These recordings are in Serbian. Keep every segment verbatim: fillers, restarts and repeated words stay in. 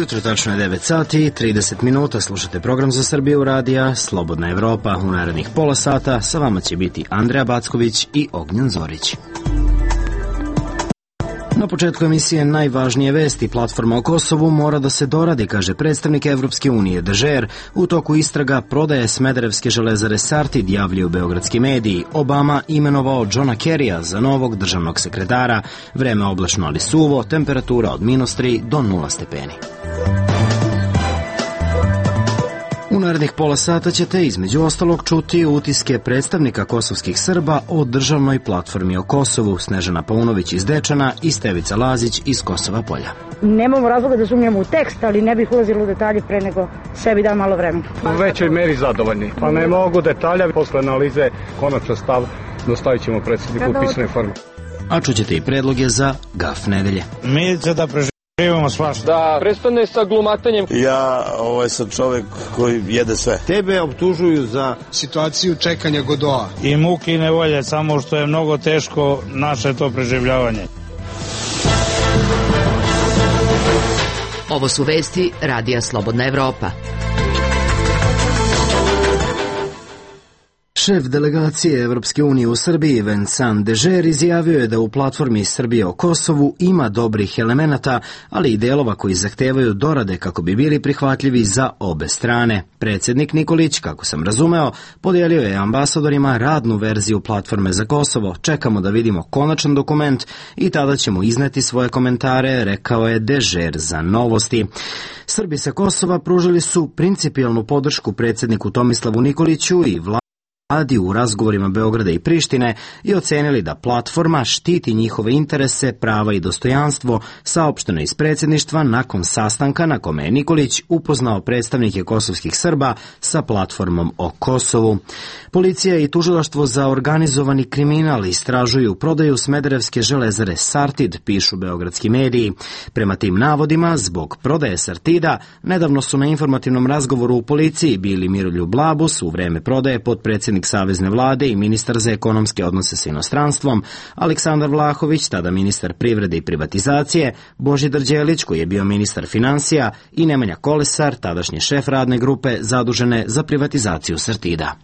jutro, tačno je devet sati i trideset minuta, slušate program za Srbiju radija Slobodna Evropa. U narednih pola sata sa vama će biti Andreja Backović i Ognjen Zorić. Na početku emisije najvažnije vesti. Platforma o Kosovu mora da se doradi, kaže predstavnik Evropske unije Dežer. U toku istraga prodaje Smederevske železare Sartid, javljaju beogradski mediji. Obama imenovao Johna Kerrya za novog državnog sekretara. Vreme oblačno ali suvo, temperatura od minus tri do nula stepeni. U narednih pola sata ćete između ostalog čuti utiske predstavnika kosovskih Srba o državnoj platformi o Kosovu, Snežana Paunović iz Dečana i Stevica Lazić iz Kosova Polja. Nemamo razloga da sumnjamo u tekst, ali ne bih ulazila u detalje pre nego sebi dam malo vremena. U većoj meri zadovoljni. Pa ne mogu detalja, posle analize konačan stav dostavit ćemo predsjedniku u pisanoj formi. A čućete i predloge za gaf nedelje. Milica da preživimo. Da prestane sa glumatanjem. Ja ovaj sam čovjek koji jede sve. Tebe optužuju za situaciju čekanja Godoa. I muke i nevolje, samo što je mnogo teško naše to preživljavanje. Ovo su vesti Radija Slobodna Evropa. Šef delegacije Evropske unije u Srbiji Vincent Dežer izjavio je da u platformi Srbije o Kosovu ima dobrih elemenata, ali i delova koji zahtevaju dorade kako bi bili prihvatljivi za obe strane. Predsjednik Nikolić, kako sam razumeo, podijelio je ambasadorima radnu verziju platforme za Kosovo. Čekamo da vidimo konačan dokument i tada ćemo izneti svoje komentare, rekao je Dežer za Novosti. Srbi sa Kosova pružili su principijelnu podršku predsjedniku Tomislavu Nikoliću i vladi u razgovorima Beograda i Prištine i ocenili da platforma štiti njihove interese, prava i dostojanstvo, saopšteno iz predsjedništva nakon sastanka na kome je Nikolić upoznao predstavnike kosovskih Srba sa platformom o Kosovu. Policija i tužilaštvo za organizovani kriminal istražuju prodaju Smederevske železare Sartid, pišu beogradski mediji. Prema tim navodima, zbog prodaje Sartida, nedavno su na informativnom razgovoru u policiji bili Miroljub Labus, u vreme prodaje potpredsjednik Savezne vlade i ministar za ekonomske odnose sa inostranstvom, Aleksandar Vlahović, tada ministar privrede i privatizacije, Božidar Đelić, koji je bio ministar finansija, i Nemanja Kolesar, tadašnji šef radne grupe zadužene za privatizaciju Sartida.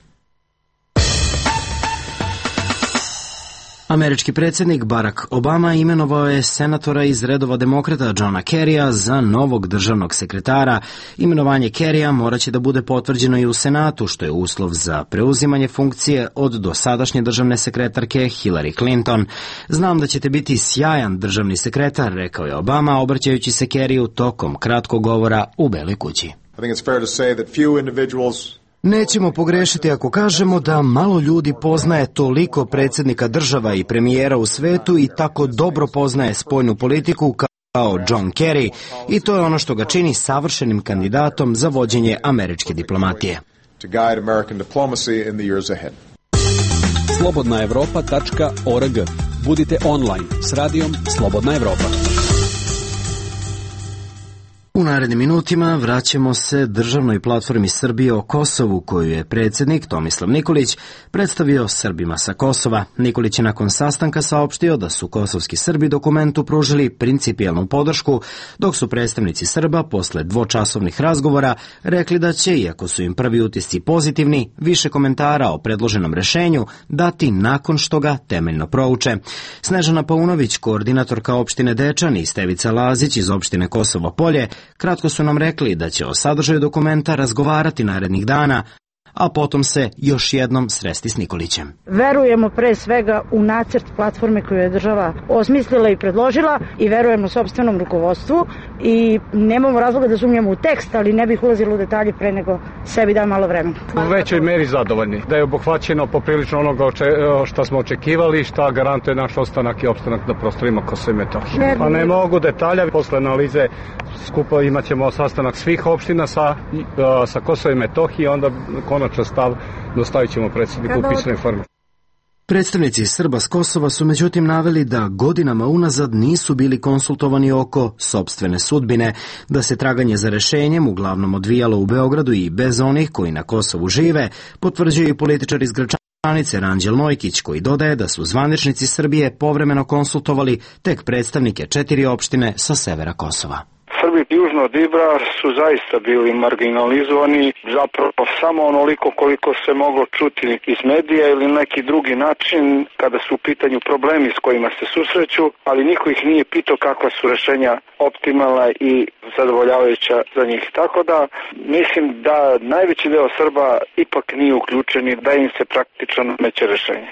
Američki predsjednik Barack Obama imenovao je senatora iz redova demokrata Johna Kerrya za novog državnog sekretara. Imenovanje Kerrya moraće da bude potvrđeno i u Senatu, što je uslov za preuzimanje funkcije od dosadašnje državne sekretarke Hillary Clinton. Znam da ćete biti sjajan državni sekretar, rekao je Obama, obraćajući se Kerryu tokom kratkog govora u Beloj kući. I think it's fair to say that few individuals Nećemo pogrešiti ako kažemo da malo ljudi poznaje toliko predsjednika država i premijera u svetu i tako dobro poznaje spoljnu politiku kao John Kerry, i to je ono što ga čini savršenim kandidatom za vođenje američke diplomatije. slobodna evropa tačka org. Budite online s radijom Slobodna Evropa. U narednim minutima vraćamo se državnoj platformi Srbije o Kosovu, koju je predsjednik Tomislav Nikolić predstavio Srbima sa Kosova. Nikolić je nakon sastanka saopštio da su kosovski Srbi dokumentu pružili principijelnu podršku, dok su predstavnici Srba posle dvočasovnih razgovora rekli da će, iako su im prvi utisci pozitivni, više komentara o predloženom rešenju dati nakon što ga temeljno prouče. Snežana Paunović, koordinatorka opštine Dečan, i Stevica Lazić iz opštine Kosovo Polje kratko su nam rekli da će o sadržaju dokumenta razgovarati narednih dana, a potom se još jednom sresti s Nikolićem. Verujemo pre svega u nacrt platforme koju je država osmislila i predložila i verujemo sopstvenom rukovodstvu i nemamo razloga da sumnjamo u tekst, ali ne bih ulazila u detalje pre nego sebi dam malo vremena. U većoj meri zadovoljni. Da je obuhvaćeno poprilično onoga što smo očekivali, šta garantuje naš ostanak i opstanak na prostorima Kosova i Metohije. Pa ne mogu detalja, posle analize skupa imat ćemo sastanak svih opština sa, sa Kosova i Metohije, onda konačan stav dostavit ćemo predsjedniku u pisanoj formi. Predstavnici Srba s Kosova su međutim naveli da godinama unazad nisu bili konsultovani oko sopstvene sudbine, da se traganje za rešenjem uglavnom odvijalo u Beogradu i bez onih koji na Kosovu žive, potvrđuje i političar iz Gračanice Ranđel Nojkić, koji dodaje da su zvaničnici Srbije povremeno konsultovali tek predstavnike četiri opštine sa severa Kosova. Srbi južno od Ibra su zaista bili marginalizovani, zapravo samo onoliko koliko se moglo čuti iz medija ili neki drugi način kada su u pitanju problemi s kojima se susreću, ali niko ih nije pitao kakva su rešenja optimalna i zadovoljavajuća za njih. Tako da mislim da najveći deo Srba ipak nije uključen i da im se praktično nameće rešenje.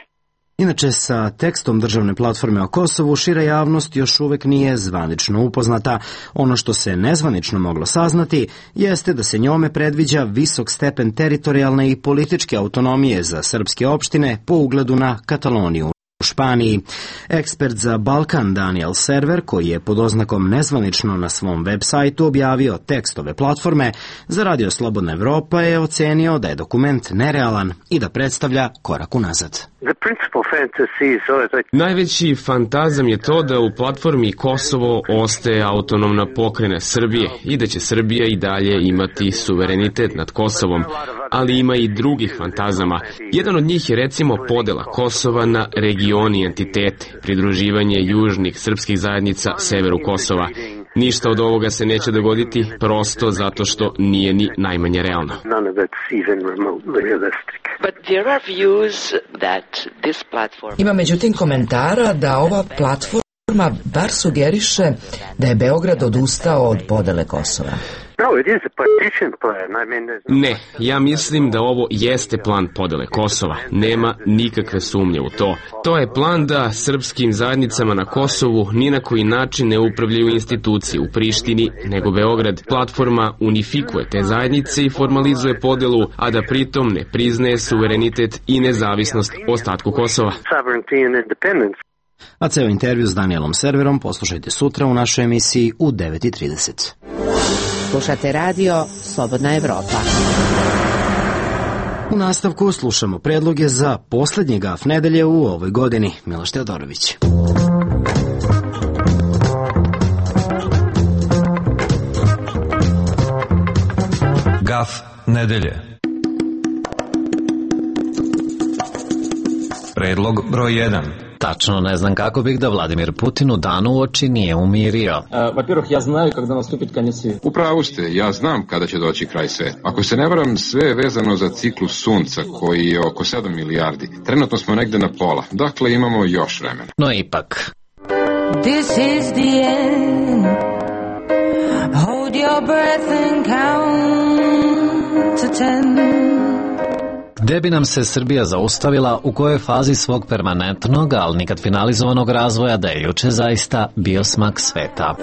Inače, sa tekstom državne platforme o Kosovu šira javnost još uvek nije zvanično upoznata. Ono što se nezvanično moglo saznati jeste da se njome predviđa visok stepen teritorijalne i političke autonomije za srpske opštine po ugledu na Kataloniju u Španiji. Ekspert za Balkan Daniel Server, koji je pod oznakom nezvanično na svom web sajtu objavio tekst ove platforme, za Radio Slobodna Evropa je ocenio da je dokument nerealan i da predstavlja korak unazad. Najveći fantazam je to da u platformi Kosovo ostaje autonomna pokrajina Srbije i da će Srbija i dalje imati suverenitet nad Kosovom, ali ima i drugih fantazama. Jedan od njih je recimo podela Kosova na regioni i entitete, pridruživanje južnih srpskih zajednica severu Kosova. Ništa od ovoga se neće dogoditi prosto zato što nije ni najmanje realno. Ima međutim komentara da ova platforma bar sugeriše da je Beograd odustao od podele Kosova. Ne, ja mislim da ovo jeste plan podele Kosova. Nema nikakve sumnje u to. To je plan da srpskim zajednicama na Kosovu ni na koji način ne upravljaju institucije u Prištini, nego Beograd. Platforma unifikuje te zajednice i formalizuje podelu, a da pritom ne priznaje suverenitet i nezavisnost ostatku Kosova. A ceo intervju s Danielom Serverom poslušajte sutra u našoj emisiji u devet i trideset. Slušate radio Slobodna Evropa. U nastavku slušamo predloge za poslednji gaf nedelje u ovoj godini. Miloš Teodorović. Gaf nedelje. Predlog broj jedan. Tačno ne znam kako bih da Vladimir Putin u danu u oči nije umirio. Во-первых, ja знаю kada наступит конец света. Upravo ste, ja znam kada će doći kraj sveta. Ako se ne varam, sve je vezano za ciklus sunca koji je oko sedam milijardi. Trenutno smo negde na pola, dakle imamo još vremena. No ipak. This is the end. Hold your breath and count to ten. Gde bi nam se Srbija zaustavila, u kojoj fazi svog permanentnog, ali nikad finalizovanog razvoja, da je juče zaista bio smak sveta.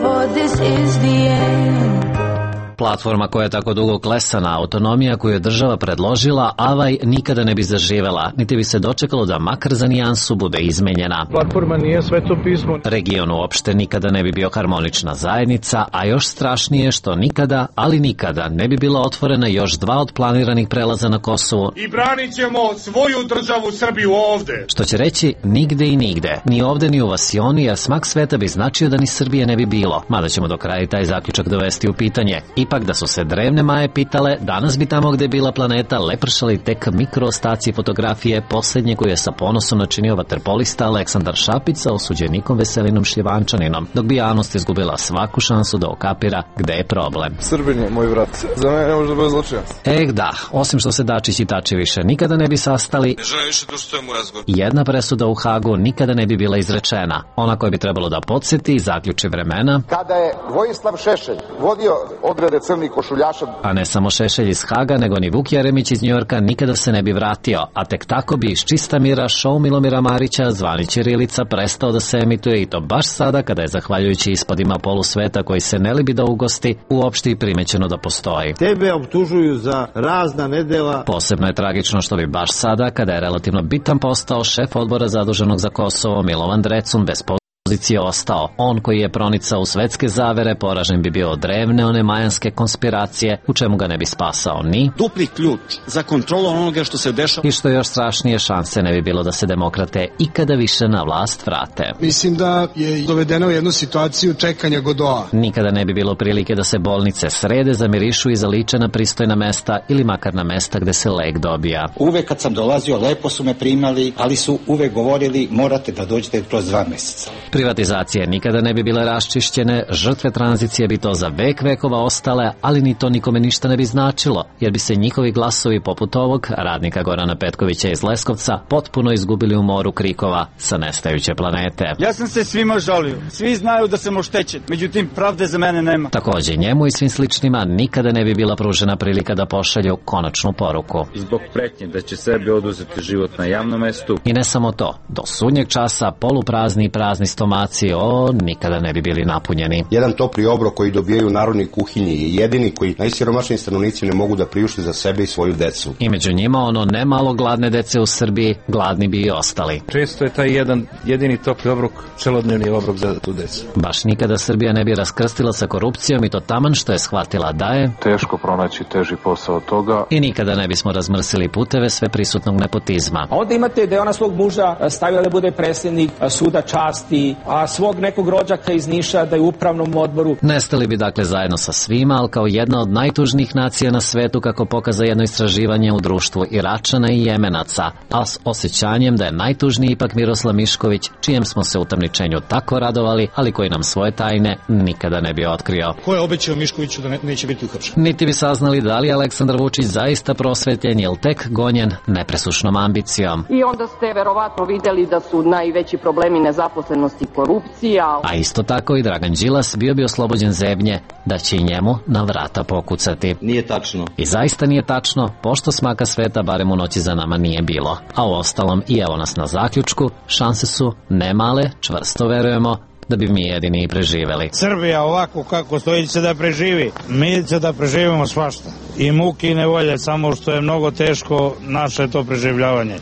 Platforma koja je tako dugo klesana, autonomija koju je država predložila, avaj nikada ne bi zaživela, niti bi se dočekalo da makar za nijansu bude izmenjena. Platforma nije sveto pismo. Region uopšte nikada ne bi bio harmonična zajednica, a još strašnije što nikada, ali nikada ne bi bila otvorena još dva od planiranih prelaza na Kosovu. I branit ćemo svoju državu Srbiju ovde. Što će reći nigde i nigde, ni ovde ni u Vasioni, jer smak sveta bi značio da ni Srbije ne bi bilo, mada ćemo do kraja taj zaključak dovesti u pitanje. Ipak da su se drevne Maje pitale, danas bi tamo gde je bila planeta lepršali tek mikroostaci fotografije posljednje koju je sa ponosom načinio vaterpolista Aleksandar Šapić sa osuđenikom Veselinom Šljivančaninom, dok bi javnost izgubila svaku šansu da okapira gde je problem. Srbin je moj brat, za mene ne može da bude zločinac. Eh da, osim što se Dačić i Tači više nikada ne bi sastali, ne želim više da ustavim u razgovor. Jedna presuda u Hagu nikada ne bi bila izrečena, ona koja bi trebalo da podsjeti i zaključi vremena. Kada je Vojislav Šešelj vodio odrede crnih košuljaša, a ne samo Šešelj iz Haga, nego ni Vuk Jeremić iz Njujorka nikada se ne bi vratio, a tek tako bi iz čista mira show Milomira Marića zvani Ćirilica prestao da se emituje i to baš sada kada je zahvaljujući ispadima polusveta koji se ne libi da ugosti, uopšte i primećeno da postoji. Tebe optužuju za razna nedela. Posebno je tragično što bi baš sada, kada je relativno bitan postao šef odbora zaduženog za Kosovo Milovan Drecun bez pozicije ostao. On koji je pronicao u svetske zavere, poražen bi bio od drevne one majanske konspiracije, u čemu ga ne bi spasao ni dupli ključ za kontrolu onoga što se dešava. I što još strašnije, šanse ne bi bilo da se demokrate ikada više na vlast vrate. Mislim da je dovedeno u jednu situaciju čekanja Godoa. Nikada ne bi bilo prilike da se bolnice srede, zamirišu i zaliče na pristojna mesta ili makar na mesta gde se lek dobija. Uvek kad sam dolazio, lepo su me primali, ali su uvek govorili morate da dođete kroz dva meseca. Privatizacije nikada ne bi bile raščišćene, žrtve tranzicije bi to za vek vekova ostale, ali ni to nikome ništa ne bi značilo, jer bi se njihovi glasovi poput ovog radnika Gorana Petkovića iz Leskovca potpuno izgubili u moru krikova sa nestajuće planete. Ja sam se svima žalio. Svi znaju da sam oštećen, međutim pravde za mene nema. Takođe, njemu i svim sličnima nikada ne bi bila pružena prilika da pošalju konačnu poruku. Zbog pretnje da će sebi oduzeti život na javnom mestu. I ne samo to, do sudnjeg časa poluprazni i prazni stomaci o nikada ne bi bili napunjeni. Jedan topli obrok koji dobijaju u narodnoj kuhinji je jedini koji najsiromašniji stanovnici ne mogu da priušte za sebe i svoju decu. I među njima ono ne malo gladne dece u Srbiji, gladni bi i ostali. Često je taj jedan jedini topli obrok celodnevni obrok za tu decu. Baš nikada Srbija ne bi raskrstila sa korupcijom i to taman što je shvatila da je teško pronaći teži posao od toga. I nikada ne bismo razmrsili puteve sve prisutnog nepotizma. A onda imate da je ona svog muža stavila da bude predsjednik suda časti, a svog nekog rođaka iz Niša da je u upravnom odboru. Nestali bi dakle zajedno sa svima, ali kao jedna od najtužnijih nacija na svetu, kako pokaza jedno istraživanje u društvu Iračana i Jemenaca, a s osjećanjem da je najtužniji ipak Miroslav Mišković, čijem smo se utamničenju tako radovali, ali koji nam svoje tajne nikada ne bi otkrio. Ko je obećao Miškoviću da ne, neće biti uhapšen? Niti bi saznali da li je Aleksandar Vučić zaista prosvetljen ili tek gonjen nepresušnom ambicijom. I onda ste verovatno videli da su najveći problemi nezaposlenost i korupcija. A isto tako i Dragan Đilas bio bi oslobođen zebnje da će i njemu na vrata pokucati. Nije tačno. I zaista nije tačno, pošto smaka sveta barem u noći za nama nije bilo. A u ostalom i evo nas na zaključku, šanse su ne male, čvrsto verujemo da bi mi jedini i preživeli. Srbija ovako kako stoji će da preživi. Mi će da preživimo svašta. I muki i nevolje, samo što je mnogo teško naše to preživljavanje.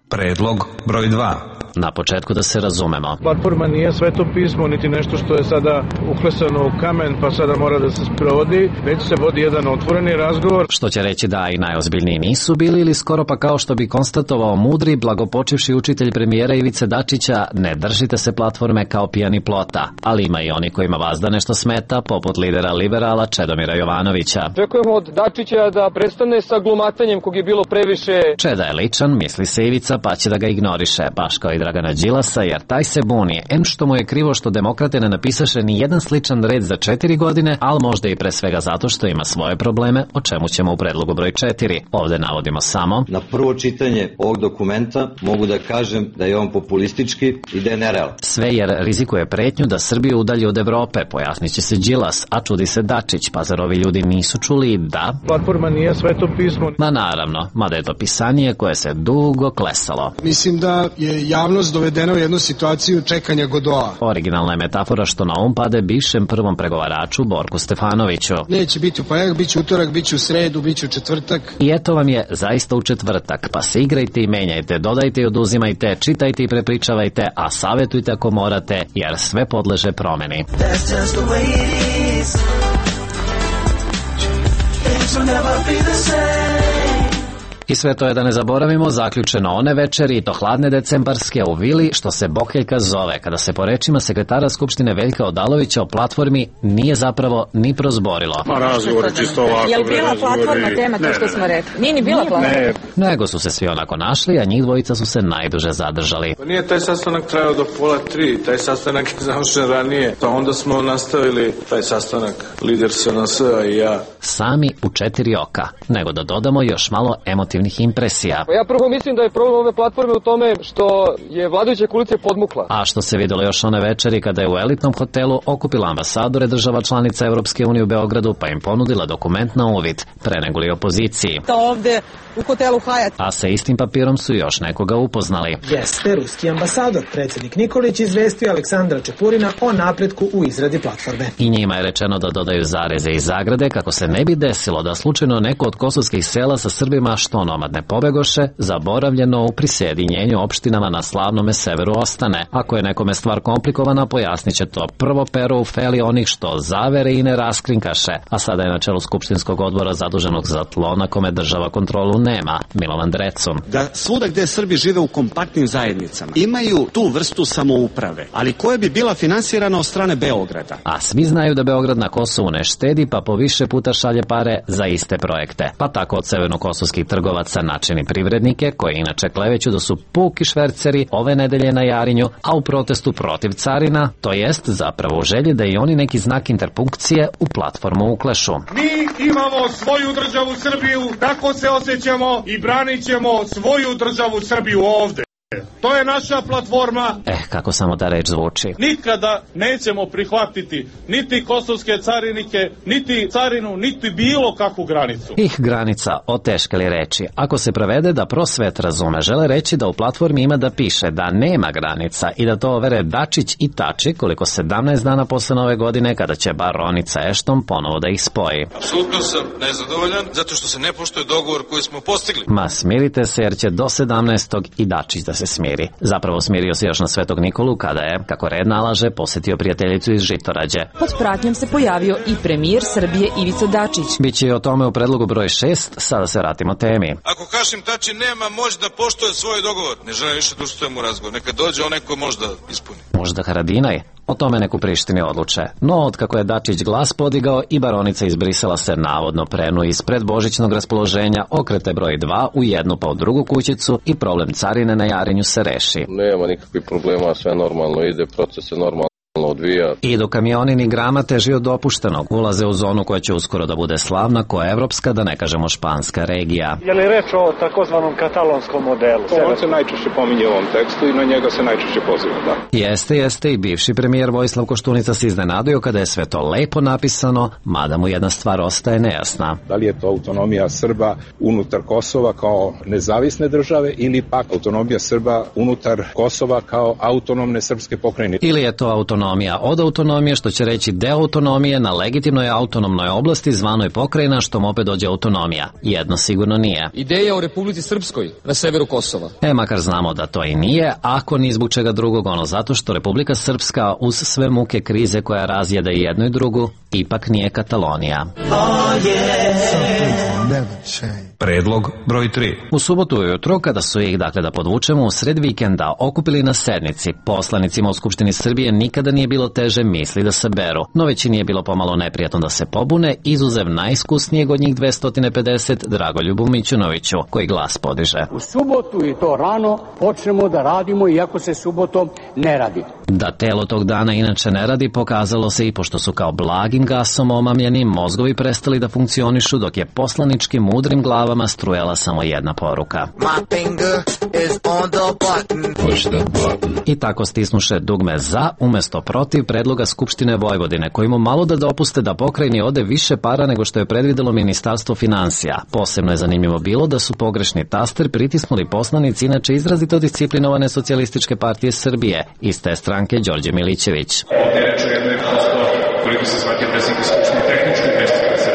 Predlog broj dva. Na početku da se razumemo. Platforma nije sveto pismo, niti nešto što je sada uklesano u kamen, pa sada mora da se sprovodi, već se vodi jedan otvoreni razgovor. Što će reći da i najozbiljniji nisu bili, ili skoro pa kao što bi konstatovao mudri, blagopočivši učitelj premijera Ivice Dačića, ne držite se platforme kao pijani plota, ali ima i oni kojima vazda nešto smeta, poput lidera liberala Čedomira Jovanovića. Očekujemo od Dačića da prestane sa glumatanjem kog je bilo previše. Čeda je ličan, misli se Ivica, pa će da ga ignoriše, baš kao i Dragana Đilasa, jer taj se buni, em što mu je krivo što demokrate ne napisaše ni jedan sličan red za četiri godine, ali možda i pre svega zato što ima svoje probleme, o čemu ćemo u predlogu broj četiri. Ovde navodimo samo: na prvo čitanje ovog dokumenta mogu da kažem da je on populistički i da je nerealan. Sve jer rizikuje pretnju da Srbiju udalji od Evrope, pojasnit će se Đilas, a čudi se Dačić, pa zar ovi ljudi nisu čuli da platforma nije sveto pismo? Ma naravno, mada je to pisanje koje se dugo klesalo. Mislim da je javnost dovedena u jednu situaciju čekanja Godoa. Originalna je metafora što na um pade bivšem prvom pregovaraču Borku Stefanoviću. Neće biti u ponedjeljak, biće utorak, biće u sredu, biće u četvrtak. I eto vam je zaista u četvrtak, pa se igrajte i menjajte, dodajte i oduzimajte, čitajte i prepričavajte, a savjetujte ako morate, jer sve podleže promeni. That's just the way it is. Things will never be the same. I sve to je, da ne zaboravimo, zaključeno one večeri, i to hladne decembarske, u vili što se Bokeljka zove, kada se po rečima sekretara Skupštine Veljka Odalovića o platformi nije zapravo ni prozborilo. Ma razgovor je čisto ovako. Je li bila platforma tema, to što smo rekli? Nije ni bila platforma. Ne. Nego su se svi onako našli, a njih dvojica su se najduže zadržali. Pa nije taj sastanak trajao do pola tri, taj sastanak je završen ranije, pa onda smo nastavili taj sastanak, lider S N S i ja. Sami u četiri oka, nego da dodamo još malo emotivnih impresija. Ja prvo mislim da je problem ove platforme u tome što je vladajuća koalicija podmukla. A što se videlo još one večeri kada je u elitnom hotelu okupila ambasadore država članica Evropske unije u Beogradu, pa im ponudila dokument na uvid, pre nego li opoziciji. To ovde u hotelu Hyatt. A sa istim papirom su još nekoga upoznali. Jeste ruski ambasador, predsjednik Nikolić, izvestio Aleksandra Čepurina o napretku u izradi platforme. I njima je rečeno da dodaju zareze i zagrade kako se ne bi desilo da slučajno neko od kosovskih sela sa Srbima što onomad ne pobegoše, zaboravljeno u prisjedinjenju opštinama na slavnome severu ostane. Ako je nekome stvar komplikovana, pojasnit će to prvo pero u feli onih što zavere i ne raskrinkaše, a sada je na čelu Skupštinskog odbora zaduženog za tlo na kome država kontrolu nema, Milovan Drecun. Da svuda gde Srbi žive u kompaktnim zajednicama imaju tu vrstu samouprave, ali koja bi bila finansirana od strane Beograda. A svi znaju da Beograd na Kosovu ne štedi, pa po više puta šalje pare za iste projekte. Pa tako od severnokosovskih trgovaca načini privrednike, koji inače kleveću da su puki šverceri, ove nedelje na Jarinju, a u protestu protiv carina, to jest zapravo u želji da i oni neki znak interpunkcije u platformu uklešu. Mi imamo svoju državu Srbiju, tako se osjećamo i branit ćemo svoju državu Srbiju ovde. To je naša platforma. Eh, kako samo ta reč zvuči. Nikada nećemo prihvatiti niti kosovske carinike, niti carinu, niti bilo kakvu granicu. Ih granica, oteškali reči. Ako se prevede da prosvet razume, žele reći da u platformi ima da piše da nema granica i da to overe Dačić i Tači koliko sedamnaest dana posle nove godine kada će baronica Ešton ponovo da ih spoji. Apsolutno sam nezadovoljan zato što se ne poštuje dogovor koji smo postigli. Ma smirite se jer će do sedamnaestog i Dačić da se smiri. Zapravo smirio se još na Svetog Nikolu kada je, kako red nalaže, posetio prijateljicu iz Žitorađe. Pod pratnjom se pojavio i premijer Srbije Ivica Dačić. Biće i o tome u predlogu broj šest, sada se vratimo temi. Ako Hašim Tači nema moć da poštuje svoj dogovor, ne želim više da učestvujem u razgovor. Neka dođe onaj ko može da ispuni. Možda Haradinaj? O tome neku Prištini odluče. No, od kako je Dačić glas podigao i baronica iz Brisela se navodno prenu iz predbožićnog raspoloženja, okrete broj dva u jednu pa u drugu kućicu i problem carine na Jarinju se reši. Nema nikakvih problema, sve normalno ide, proces se normalno odvija. I do kamioni ni grama teži od dopuštenog. Ulaze u zonu koja će uskoro da bude slavna, koja je evropska, da ne kažemo španska regija. Je li reč o takozvanom katalonskom modelu? On se najčešće pominje u ovom tekstu i na njega se najčešće poziva, da. Jeste, jeste i bivši premijer Vojislav Koštunica se iznenadio kada je sve to lepo napisano, mada mu jedna stvar ostaje nejasna. Da li je to autonomija Srba unutar Kosova kao nezavisne države ili pak autonomija Srba unutar Kosova kao autonomne srpske pokrajine? Ili je to autonomija od autonomije, što će reći deo autonomije na legitimnoj autonomnoj oblasti zvanoj pokrajina, što mu opet dođe autonomija. Jedno sigurno nije. Ideja o Republici Srpskoj na severu Kosova. E, makar znamo da to i nije, ako ni zbog čega drugog, ono zato što Republika Srpska uz sve muke krize koja razjeda i jednu i drugu, ipak nije Katalonija. Predlog broj tri. U subotu ujutro, kada su ih, dakle da podvučemo, u sred vikenda okupili na sednici, poslanicima u Skupštini Srbije nikada nije bilo teže misli da se beru, no većini je bilo pomalo neprijatno da se pobune, izuzev najiskusnijeg od njih dvesta pedeset, Dragoljubu Mićunoviću, koji glas podiže. U subotu i to rano počnemo da radimo, iako se subotom ne radi. Da telo tog dana inače ne radi, pokazalo se i pošto su kao blagim gasom omamljeni, mozgovi prestali da funkcionišu, dok je poslaničkim mudrim glavama strujala samo jedna poruka. I tako stisnuše dugme za umesto protiv predloga Skupštine Vojvodine, kojima malo da dopuste da pokrajini ode više para nego što je predvidelo Ministarstvo finansija. Posebno je zanimljivo bilo da su pogrešni taster pritisnuli poslanici inače izrazito disciplinovane Socijalističke partije Srbije, iz te stranke Đorđe Milićević. Ovdje reče jedno je prosto, koliko se shvatio predsjednik Skupštine, tehnički greška da se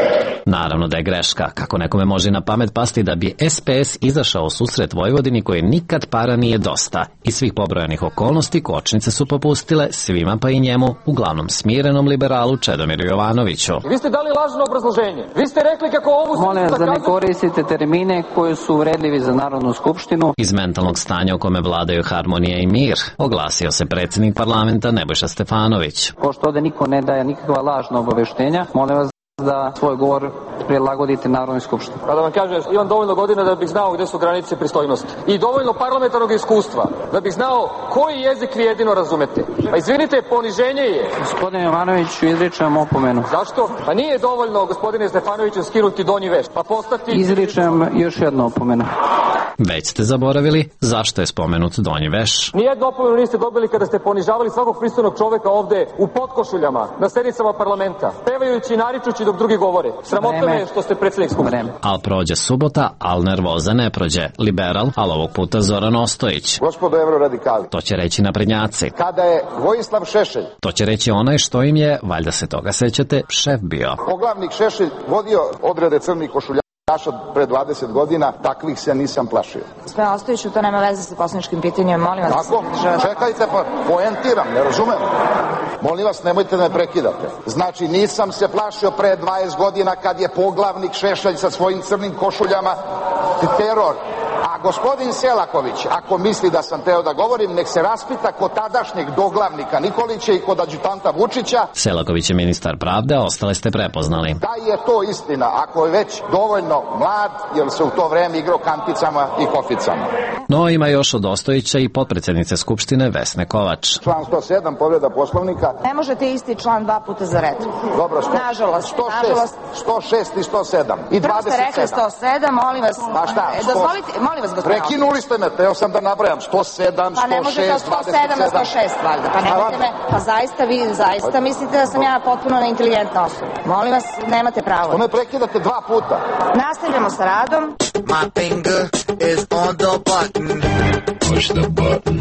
Naravno da je greška. Kako nekome može na pamet pasti da bi S P S izašao u susret Vojvodini koji nikad para nije dosta. Iz svih pobrojanih okolnosti kočnice su popustile svima pa i njemu, uglavnom smirenom liberalu Čedomiru Jovanoviću. Vi ste dali lažno obrazloženje. Vi ste rekli kako ovu... Molim vas da ne koristite termine koji su uvredljivi za Narodnu skupštinu. Iz mentalnog stanja u kome vladaju harmonija i mir, oglasio se predsjednik parlamenta Nebojša Stefanović. Pošto ovde niko ne daje nikakva lažna obaveštenja, molim vas da svoj govor prilagodite Narodnoj skupštini. Pa da vam kažem, imam dovoljno godina da bih znao gde su granice pristojnosti. I dovoljno parlamentarnog iskustva da bih znao koji jezik vi jedino razumete. Pa izvinite, poniženje je. Gospodine Jovanoviću, izričem opomenu. Zašto? Pa nije dovoljno, gospodine Stefanoviću, skinuti donji veš, pa postati... Izričem još jednu opomenu. Već ste zaboravili zašto je spomenut donji veš. Nijednu opomenu niste dobili kada ste ponižavali svakog pristojnog čoveka ovde u potkošuljama, na sednicama parlamenta, pevajući i naričući dok drugi govore. Sramotno me što ste predsjednik Skupštine. Al prođe subota, al nervoza ne prođe. Liberal, al ovog puta Zoran Ostojić. Gospodo evroradikali. To će reći naprednjaci. Kada je Vojislav Šešelj. To će reći onaj što im je, valjda se toga sećate, šef bio. Poglavnik Šešelj vodio odrede crnih košuljaša ponašao pre dvadeset godina, takvih se nisam plašio. Sve Ostojiću, to nema veze sa poslaničkim pitanjem, molim vas. Tako, čekajte, pa poentiram, ne razumem. Molim vas, nemojte da me prekidate. Znači, nisam se plašio pre dvadeset godina kad je poglavnik Šešelj sa svojim crnim košuljama teror. A gospodin Selaković, ako misli da sam teo da govorim, nek se raspita kod tadašnjeg doglavnika Nikolića i kod adjutanta Vučića. Selaković je ministar pravde, ostale ste prepoznali. Da je to istina, ako je već dovoljno mlad, jer se u to vreme igrao kanticama i koficama. No, ima još od Ostojića i potpredsjednice Skupštine Vesne Kovač. Član sto sedam, povreda Poslovnika. Ne možete isti član dva puta za red. Dobro, sto, nažalost, sto šest, nažalost. sto šest i sto sedam. I prvo ste rekli sto sedam, molim vas. Pa šta? E, dozvolite, molim vas, gospodine. Prekinuli ste me, teo sam da nabrajam sto sedam, sto šest, pa ne možete od sto sedam na sto šest, valjda. Pa nemojte me, pa zaista vi, zaista mislite da sam ja potpuno neinteligentna osoba. Molim vas, nemate pravo. To me prekidate dva puta. Nastavljamo sa radom. My finger is on the button. Push the button.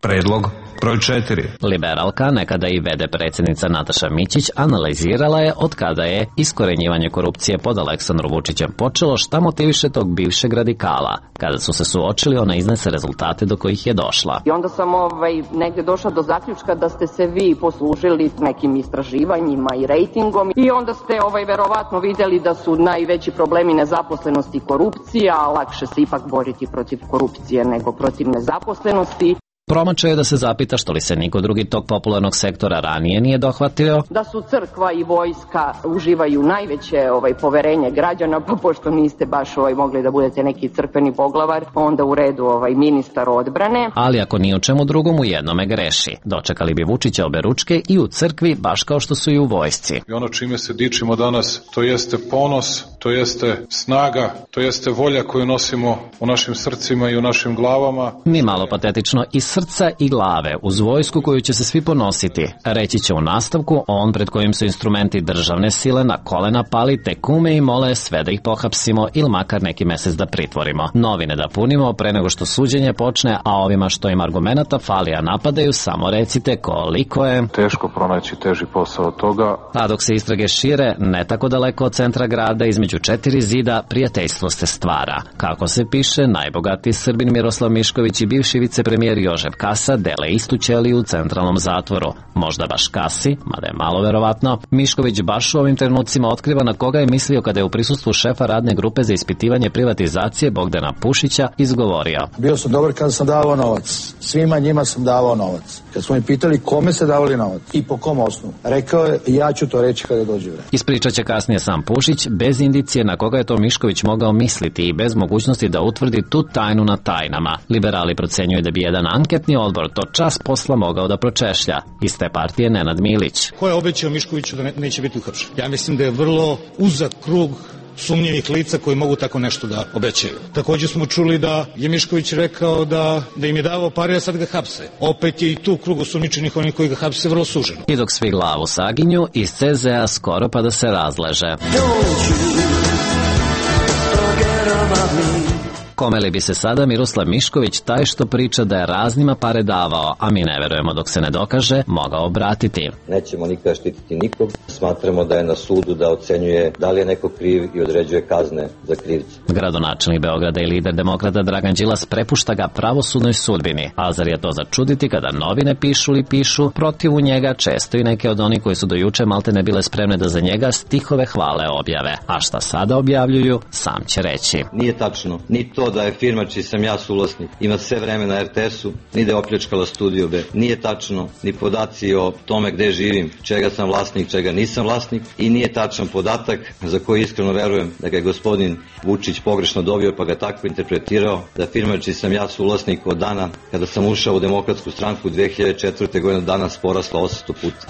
Predlog broj četiri. Liberalka, nekada i vede predsjednica Nataša Mićić, analizirala je od kada je iskorenjivanje korupcije pod Aleksandrom Vučićem počelo, šta motiviše tog bivšeg radikala. Kada su se suočili, ona iznese rezultate do kojih je došla. I onda sam ovaj, negde došla do zaključka da ste se vi poslužili nekim istraživanjima i rejtingom i onda ste ovaj, verovatno vidjeli da su najveći problemi nezaposlenost i korupcija, a lakše se ipak boriti protiv korupcije nego protiv nezaposlenosti. Promače je da se zapita što li se niko drugi tog popularnog sektora ranije nije dohvatio. Da su crkva i vojska uživaju najveće ovaj, poverenje građana, pa pošto niste baš ovaj, mogli da budete neki crkveni poglavar, onda u redu ovaj, ministar odbrane. Ali ako ni u čemu drugom, u jednome greši. Dočekali bi Vučića obe ručke i u crkvi, baš kao što su i u vojsci. I ono čime se dičimo danas, to jeste ponos, to jeste snaga, to jeste volja koju nosimo u našim srcima i u našim glavama. Ni malo patetično, i srca i glave, uz vojsku koju će se svi ponositi. Reći će u nastavku on pred kojim su instrumenti državne sile na kolena pali, te kume i mole sve da ih pohapsimo ili makar neki mesec da pritvorimo. Novine da punimo pre nego što suđenje počne, a ovima što im argumenata fali, a napadaju, samo recite koliko je teško pronaći teži posao od toga. A dok se istrage šire, ne tako daleko od centra grada, između četiri zida, prijateljstvo se stvara. Kako se piše, najbogatiji Srbin Miroslav Mišković i bivši vicepremijer Jožef Kasa dele istu ćeliju u centralnom zatvoru. Možda baš Kasi, mada je malo verovatno. Mišković baš u ovim trenucima otkriva na koga je mislio kada je u prisustvu šefa radne grupe za ispitivanje privatizacije Bogdana Pušića izgovorio. Bio sam dobar kada sam davao novac. Svima njima sam davao novac. Kad smo mi pitali kome se davali novac i po kom osnovu, rekao je ja ću to reći kada dođe vreme. Ispričat će kasnije sam Pušić, bez indicije na koga je to Mišković mogao misliti i bez mogućnosti da utvrdi tu tajnu na tajnama. Liberali procenjuju da bi jedan anketni odbor to čas posla mogao da pročešlja. Iz te partije Nenad Milić. Ko je obećao Miškoviću da ne, neće biti uhapšen? Ja mislim da je vrlo uzak krug sumnjivih lica koji mogu tako nešto da obećaju. Također smo čuli da je Mišković rekao da, da im je davao pare, a sad ga hapse. Opet je i tu krug osumnjičenih, onih koji ga hapse, vrlo suženo. I dok svi glavu saginju, iz C Z A skoro pa da se razleže. Kome li bi se sada Miroslav Mišković, taj što priča da je raznima pare davao, a mi ne verujemo dok se ne dokaže, mogao obratiti? Nećemo nikada štititi nikog. Smatramo da je na sudu da ocenjuje da li je neko kriv i određuje kazne za krivce. Gradonačelnik Beograda i lider demokrata Dragan Đilas prepušta ga pravosudnoj sudbini. A zar je to začuditi kada novine pišu li pišu protiv u njega, često i neke od onih koji su do juče malte ne bile spremne da za njega stihove hvale objave. A šta sada objavljuju, sam će reći. Nije tačno, ni to da je firma čiji sam ja suvlasnik ima sve vreme na R T S-u, ni da je opljačkala Studio B. Nije tačno ni podaci o tome gde živim, čega sam vlasnik, čega nisam vlasnik, i nije tačan podatak za koji iskreno verujem da ga je gospodin Vučić pogrešno dobio pa ga tako interpretirao, da firma čiji sam ja suvlasnik od dana kada sam ušao u Demokratsku stranku dve hiljade četvrte. godine danas porasla osamsto puta.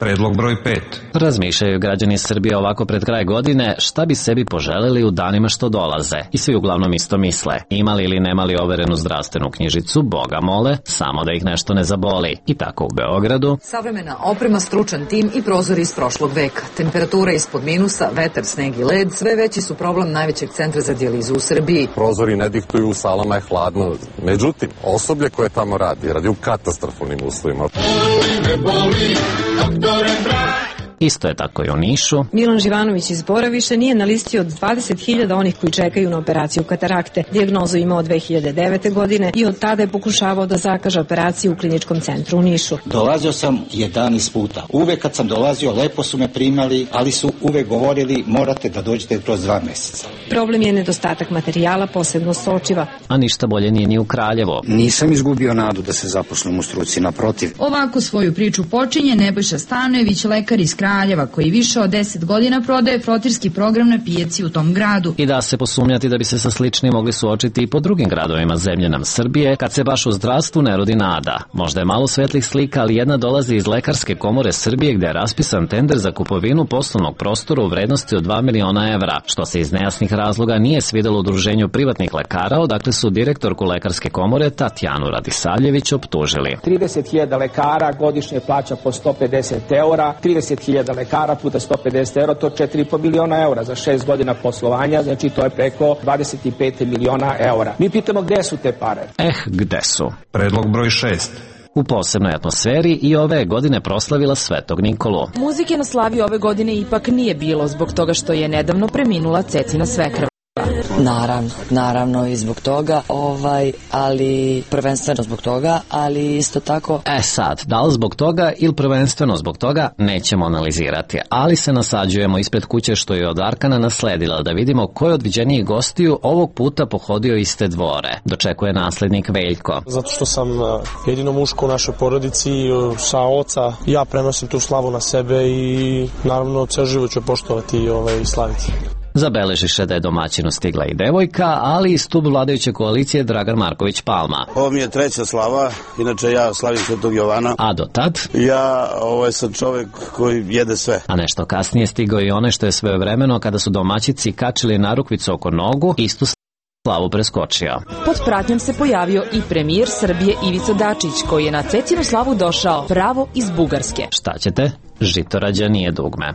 Predlog broj pet. Razmišljaju građani Srbije ovako pred kraj godine šta bi sebi poželeli u danima što dolaze. I svi uglavnom isto misle. Imali ili nemali overenu zdravstvenu knjižicu, Boga mole, samo da ih nešto ne zaboli. I tako u Beogradu. Savremena oprema, stručan tim i prozori iz prošlog veka. Temperatura ispod minusa, vetar, sneg i led, sve veći su problem najvećeg centra za dijalizu u Srbiji. Prozori ne diktuju, u salama je hladno. Međutim, osoblje koje tamo radi, radi u katastrofalnim uslovima. me boli, doktore drag. Isto je tako i u Nišu. Milan Živanović iz Bora više nije na listi od dvadeset hiljada onih koji čekaju na operaciju katarakte. Dijagnozu imao dve hiljade devete. godine i od tada je pokušavao da zakaže operaciju u kliničkom centru u Nišu. Dolazio sam jedanaest puta. Uvek kad sam dolazio, lepo su me primali, ali su uvek govorili morate da dođete kroz dva meseca. Problem je nedostatak materijala, posebno sočiva. A ništa bolje nije ni u Kraljevo. Nisam izgubio nadu da se zaposlim u struci, naprotiv. Ovako svoju priču počinje Nebojša Stanojević, lekar iz Kraljeva, koji više od deset godina prodaje frotirski program na pijaci u tom gradu. I da se posumnjati da bi se sa sličnim mogli suočiti i po drugim gradovima zemlje nam Srbije, kad se baš u zdravstvu ne rodi nada. Možda je malo svetlih slika, ali jedna dolazi iz Lekarske komore Srbije gde je raspisan tender za kupovinu poslovnog prostora u vrednosti od dva miliona evra, što se iz nejasnih razloga nije svidelo udruženju privatnih lekara, odakle su direktorku Lekarske komore Tatjanu Radisavljević optužili. trideset hiljada lekara godišnje plaća po sto pedeset eura, trideset hiljada lekara puta sto pedeset eura, to je četiri i po miliona eura za šest godina poslovanja, znači to je preko dvadeset pet miliona eura. Mi pitamo gde su te pare? Eh, gde su? Predlog broj šest. U posebnoj atmosferi i ove godine proslavila Svetog Nikolu. Muzike na slavi ove godine ipak nije bilo zbog toga što je nedavno preminula Cecina svekrva. Naravno, naravno i zbog toga, ovaj, ali prvenstveno zbog toga, ali isto tako... E sad, da li zbog toga ili prvenstveno zbog toga nećemo analizirati, ali se nasađujemo ispred kuće što je od Arkana nasledila da vidimo ko je od viđenijih gostiju ovog puta pohodio iste dvore. Dočekuje naslednik Veljko. Zato što sam jedino muško u našoj porodici, sa oca, ja prenosim tu slavu na sebe i naravno ceo život ću poštovati i ovaj, slaviti. Zabeležiše da je domaćinu stigla i devojka, ali i stub vladajuće koalicije Dragan Marković Palma. Ovo mi je treća slava, inače ja slavim Svetog Jovana. A do tad? Ja, ovo sam čovek koji jede sve. A nešto kasnije stigao i one što je svojevremeno kada su domaćici kačili narukvicu oko nogu, istu slavu preskočio. Pod pratnjom se pojavio i premijer Srbije Ivica Dačić, koji je na Cecinu slavu došao pravo iz Bugarske. Šta ćete? Žitorađa nije dugme.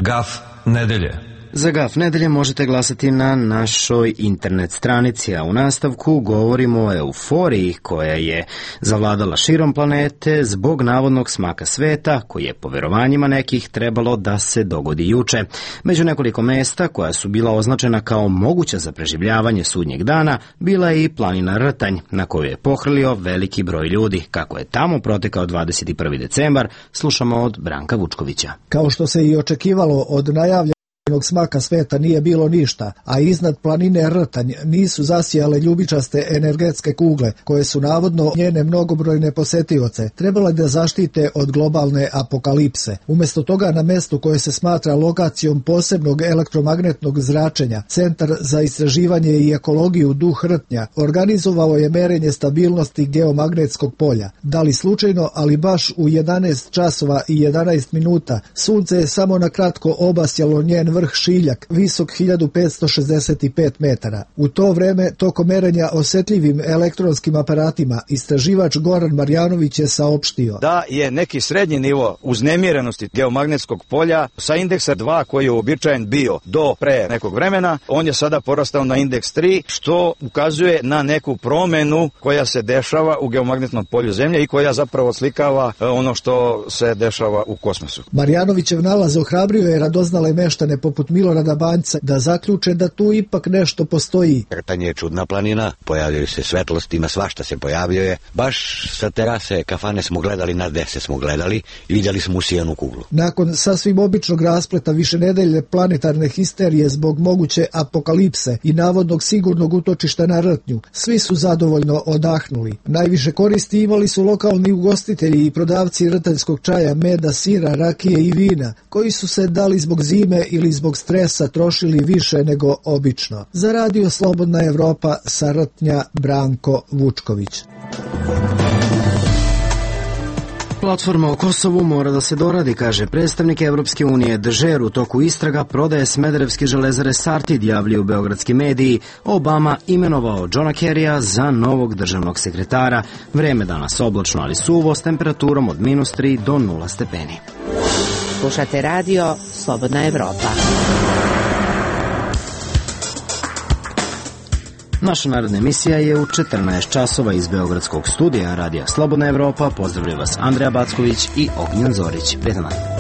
Gaf nedelje. Za Gaf nedelje možete glasati na našoj internet stranici, a u nastavku govorimo o euforiji koja je zavladala širom planete zbog navodnog smaka sveta, koji je po verovanjima nekih trebalo da se dogodi juče. Među nekoliko mesta koja su bila označena kao moguća za preživljavanje sudnjeg dana, bila je i planina Rtanj, na koju je pohrlio veliki broj ljudi. Kako je tamo protekao dvadeset prvi decembar, slušamo od Branka Vučkovića. Kao što se i očekivalo od najavljenog smaka sveta nije bilo ništa, a iznad planine Rtanj nisu zasijale ljubičaste energetske kugle, koje su navodno njene mnogobrojne posetioce trebale da zaštite od globalne apokalipse. Umjesto toga, na mestu koje se smatra lokacijom posebnog elektromagnetnog zračenja, Centar za istraživanje i ekologiju Duh Rtnja organizovao je merenje stabilnosti geomagnetskog polja. Da li slučajno, ali baš u jedanaest časova i jedanaest minuta, sunce je samo na kratko obasjalo njen vrh Šiljak, visok hiljadu petsto šezdeset pet metara. U to vreme, tokom merenja osetljivim elektronskim aparatima, istraživač Goran Marjanović je saopštio da je neki srednji nivo uznemirenosti geomagnetskog polja sa indeksa dva, koji je uobičajen bio do pre nekog vremena, on je sada porastao na indeks tri, što ukazuje na neku promenu koja se dešava u geomagnetnom polju Zemlje i koja zapravo slikava ono što se dešava u kosmosu. Marjanovićev nalaz ohrabrio je radoznale meštane poput Milorada Banjca da zaključe da tu ipak nešto postoji. Rtanj je čudna planina, pojavljaju se svetlosti, ima svašta se pojavljuje. Baš sa terase kafane smo gledali, na dese smo gledali i vidjeli smo usijanu kuglu. Nakon sasvim običnog raspleta višenedeljne planetarne histerije zbog moguće apokalipse i navodnog sigurnog utočišta na Rtnju, svi su zadovoljno odahnuli. Najviše koristi imali su lokalni ugostitelji i prodavci rtanjskog čaja, meda, sira, rakije i vina, koji su se dali zbog zime ili zbog stresa trošili više nego obično. Za Radio Slobodna Evropa sa Rtnja, Branko Vučković. Platforma o Kosovu mora da se doradi, kaže predstavnik Evropske unije. Dežer u toku istraga prodaje smederevske železare Sartid, javljaju beogradski mediji. Obama imenovao Johna Kerrya za novog državnog sekretara. Vreme danas oblačno, ali suvo, s temperaturom od minus tri do nula stepeni. Slušate radio Slobodna Evropa. Naša naredna emisija je u četrnaest časova iz Beogradskog studija Radija Slobodna Evropa. Pozdravlja vas Andreja Backović i Ognjen Zorić. Prijetan dan.